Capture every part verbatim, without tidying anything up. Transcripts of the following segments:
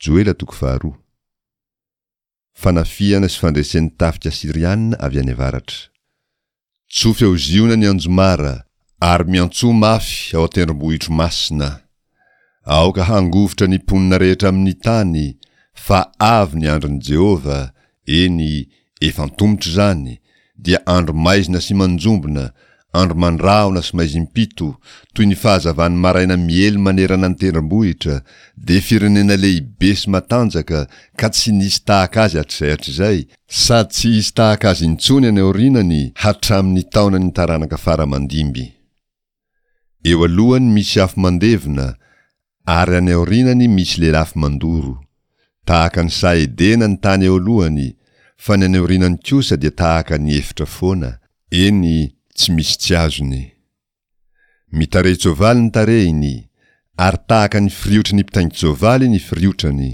Joela toko faharoa. Fanafihana sy fandresen'ny tafika Asyriana avy any avaratra. Tsofy ao Ziona ny anjomara, ary miantsoa mafy ao an-tendrombohitro masina. Aoka hangovitra ny mponina rehetra amin'ny tany, fa avy ny andron'i Jehovah, eny, efa antomotra izany, dia andro maizina sy manjombona, andro mandrahona sy maizim-pito, toy ny fahazavan'ny maraina miely manerana ny tendrombohitra, dia firenena lehibe sy matanjaka ka tsy nisy tahaka azy hatrizay hatrizay, sady tsy hisy tahaka azy intsony any aorianany hatramin'ny taonan'ny taranaka fara aman-dimby. Eo alohany misy afo mandevona, ary any aorianany misy lelafo mandoro. Tahaka ny saha Edena ny tany eo alohany, fa ny any aorianany kosa dia tahaka ny efitra foana, eny, tsy misy tsy azony. Mitarehin-tsoavaly ny tarehiny, ary tahaka ny firiotry ny mpitaingin-tsoavaly ny firiotrany.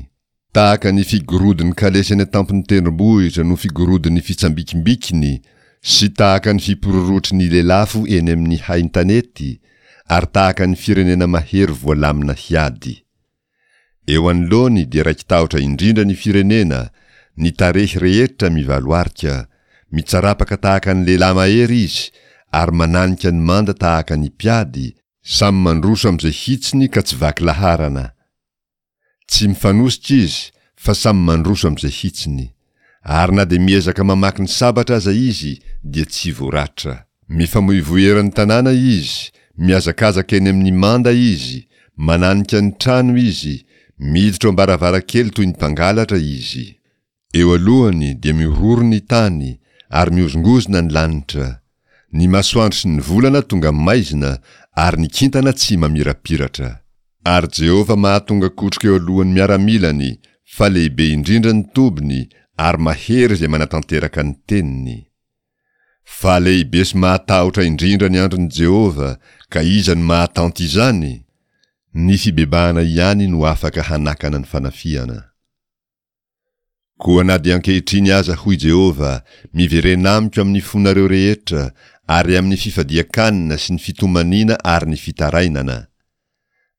Tahaka ny figorodon'ny kalesy any an-tampon'ny tendrombohitra no figorodon'ny fitsambikimbikiny, sy tahaka ny fipororotry ny lelafo eny amin'ny hain-tanety, ary tahaka ny firenena mahery voalamina hiady. Eo anoloany dia raiki-tahotra indrindra ny firenena, ny tarehy rehetra mivaloarika, mitsarapaka tahaka ny lehilahy mahery izy, ary mananika ny manda tahaka ny mpiady, samy mandroso amin'izay hitsiny ka tsy vaky laharana. Tsy mifanosika izy fa samy mandroso amin'izay hitsiny. Ary na dia miezaka mamaky ny sabatra aza izy dia tsy voaratra. Mifamoivoy eran'ny tanàna izy, mihazakazaka eny amin'ny manda izy, mananika ny trano izy, miditra ao am-baravarankely toy ny mpangalatra izy. Eo alohany dia mihorohoro ny tany, ary mihozongozona ny lanitra. Ny masoandro sy ny volana tonga maizina, ary ny kintana tsy mamirapiratra. Ary Jehovah mahatonga kotroka eo alohan'ny miaramilany, fa lehibe indrindra ny tobiny, ary mahery izay manatanteraka ny teniny. Fa lehibe sy mahatahotra indrindra ny andron'i Jehovah, ka iza no mahatanty izany? Ny fibebahana ihany no afaka hanakana ny fanafihana. Koa na dia ankehitriny aza, hoy Jehovah, miverena amiko amin'ny fonareo rehetra, ary amin'ny fifadian-kanina sy ny fitomaniana ary ny fitarainana.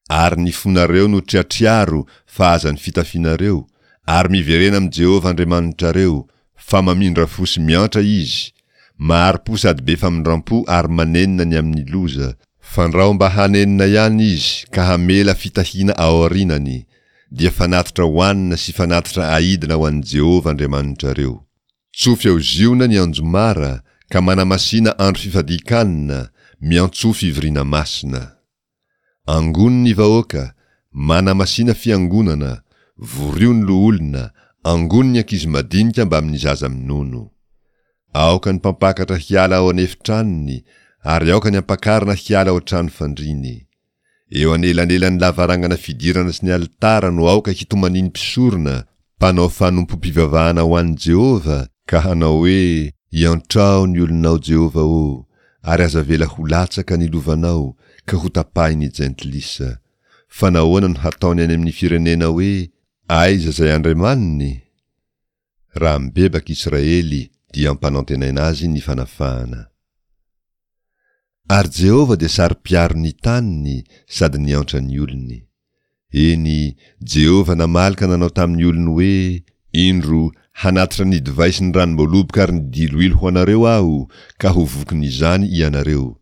Ary ny fonareo no triatriaro fa aza ny fitafianareo, ary miverena amin'i Jehovah Andriamanitrareo, fa mamindra fo sy miantra Izy, mahari-po sady be famindram-po ary manenina ny amin'ny loza, fandrao mba hanenina ihany Izy ka hamela fitahiana aorianany, dia fanatitra hohanina sy fanatitra aidina ho an'i Jehovah Andriamanitrareo. Tsofy ao Ziona ny anjomara, ka manamasina andro fifadian-kanina, miantsoa fivoriana masina. Angony ny vahoaka, manamasina fiangonana, vorio ny loholona, angony ny ankizy madinika mbamin'ny zaza minono. Aoka ny mpampakatra hiala ao an'efitranony, ary aoka ny ampakarina hiala ao an-trano fandriany. Eo anelanelan'ny lavarangana fidirana sy ny alitara no aoka hitomanian'ny mpisorona, mpanao fanompoam-pivavahana ho an'i Jehovah, ka hanao hoe, Iantrao ny olonao, Jehovah ô, ary aza avela ho latsaka ny lovanao, ka hotapahin'ny jentilisa. Fa nahoana no hataony any amin'ny firenena hoe, Aiza izay Andriamaniny? Raha mibebaka Israely, dia ampanantenaina azy ny fanafahana. Ary Jehovah dia saro-piaro ny taniny sady niantra ny olony. Eny, Jehovah namaly ka nanao tamin'ny olony hoe, Indro, hanatitra ny divay sy ny ranom-boaloboka ary ny diloilo ho anareo Aho, ka ho vokin'izany ianareo.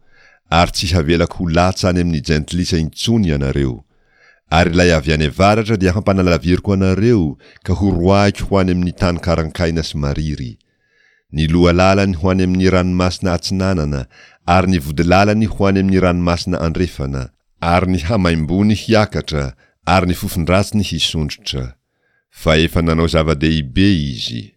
Ary tsy havelako ho latsa any amin'ny jentilisa intsony ianareo. Ary ilay avy any avaratra dia hampanalaviriko anareo, ka horoahiko ho any amin'ny tany karankaina sy mariry. Ny lohalalany ho any amin'ny ranomasina atsinanana, ary ny vodilalany ho any amin'ny ranomasina andrefana, ary ny hamaimbony hiakatra, ary ny fofon-dratsiny hisondrotra. Fa efa nanao zava-dehibe izy.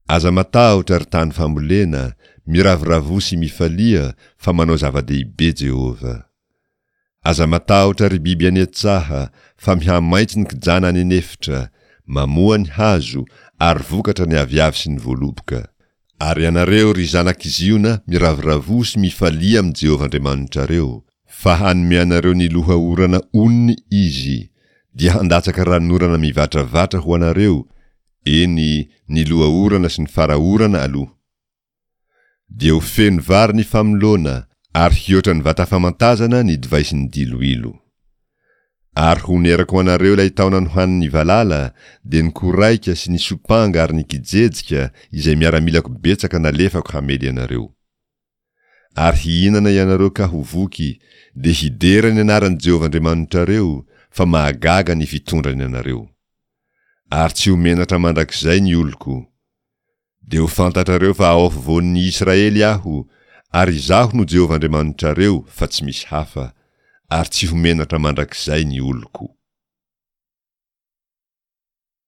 Aza matahotra, ry tany fambolena, miravoravoa sy mifalia, fa manao zava-dehibe Jehovah. Aza matahotra ry biby any an-tsaha, fa mihamaitso ny kijana any an'efitra, mamoa ny hazo, ary vokatra ny aviavy sy ny voaloboka. Ary ianareo, ry zanak'i Ziona, miravoravoa sy mifalia amin'i Jehovah Andriamanitrareo, fa hanome anareo ny loha orana onony Izy, dia handatsaka ranonorana mivatravatra ho anareo, eny, ny loha orana sy ny fara orana aloha. Dia ho feno vary ny famoloana, ary hihoatra ny vata famantazana ny divay sy ny diloilo. Ary honerako ho anareo ilay taona nohanin'ny valala, dia ny koraika sy ny sompanga ary ny kijejika, izay miaramilako betsaka nalefako hamely anareo. Ary hihinana ianareo ka ho voky, dia hidera ny anaran'i Jehovah Andriamanitrareo, fa mahagaga ny fitondrany anareo. Ary tsy ho menatra mandrakizay ny oloko. Dia ho fantatrareo fa ao afovoan'ny Israely aho, ary izaho no Jehovah Andriamanitrareo fa tsy misy hafa, ary tsy ho menatra mandrakizay ny oloko.